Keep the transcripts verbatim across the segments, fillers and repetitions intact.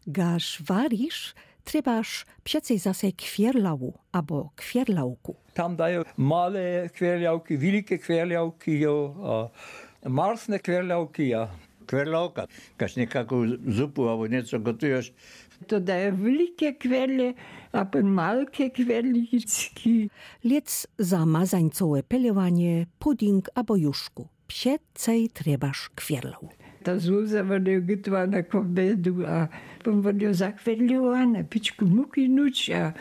Gaż warisz, trebasz przecej zase kwierlału abo kwierlałku. Tam dają małe kwierlałki, wielkie kwierlałki, jo, a marsne kwierlałki, ja. Kwierlałka, gaż niekaką zupã abo nieco gotujesz. To dają wielkie kwierle, a pon małe kwierlałki. Lec za mazańcowe pelewanie, pudding abo juszku. Przecej trebasz kwierlału. Ta złuza wodë gotowała na kòbedu, a pon wodë zakwierlała, na piczku muki nuć, a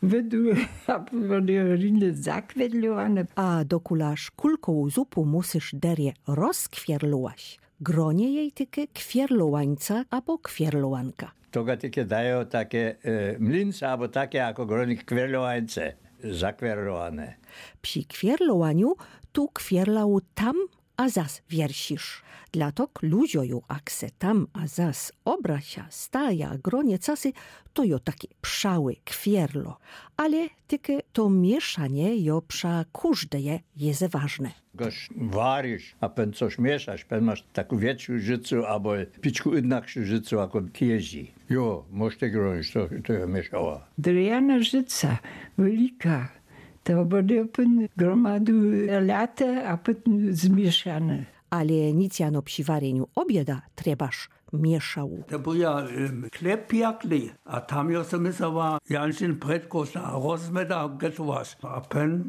wëdu, a pon wodë rinë zakwierlała. A dokulaż kulkową zupã musysz derje rozkwierlołaś. Gronie jej tykô kwierlołańca abo kwierlołanka. To ga tykô dają take, e, mlince abo take jakò gronie kwierlołańce, zakwierlołane. Przi kwierlołaniu tu kwierlału tam a zas wiersisz. Dlatok ludzio ju akse tam a zas obrasza, staja, gronie casy, to jo taki przałi kwierlo. Ale tykô to mieszanie jo prza kòżdeje jeze ważne. Gaż warisz, a pon cos mieszasz, pon môsz taką wikszą żëcã abo piczku jednakszą żëcã jakò tieżi. Jo, mòżesz te gronic, to, to jo mieszała. Drewniana żëca, wiôlgô, to bãdze pon gromadu late, a pòtim zmieszane. Ale nick jano przi warieniu òbieda trebasz mieszału. To béł ja, em, chleb piekłi, a tam jo so mëszała, Janczin, prãdko za rozmeda getowac. A pon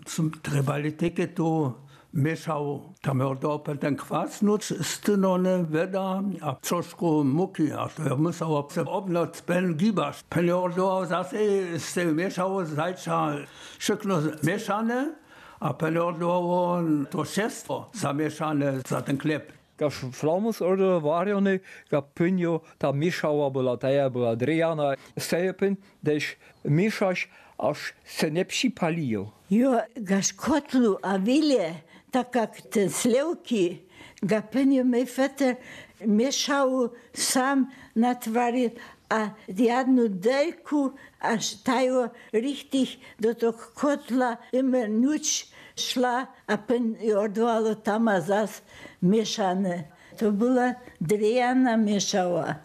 sã trebali tykô tu mieszału. Tam jo dôł pon ten kwas nuc, stynóné wëda, a troszkù mùki, a to jo mëszało se òbnoc, pon gibasz. Pon jo dôł zase z te mieszału zajca wszëtkò mieszóné, a pon jo dôł to wszëtkò zamieszóné za ten chleb. Gaż flamus òdo wariony, ga pon jo ta mieszała bëła, ta bëła drewniana, steje pon, desz mieszasz, jaż se nie przëpôli jo. Jo, gaż kòtlu, a wile, tak jak te slëwczi, ga pon jo, mój feter, mieszôł sóm na twardé, a jedną dérkã, jaż ta jo richtich do tog kòtla, jimer nuc szła, a pon jo òdwôłôł tam a zas mieszóné. To bëła drewniana mieszała.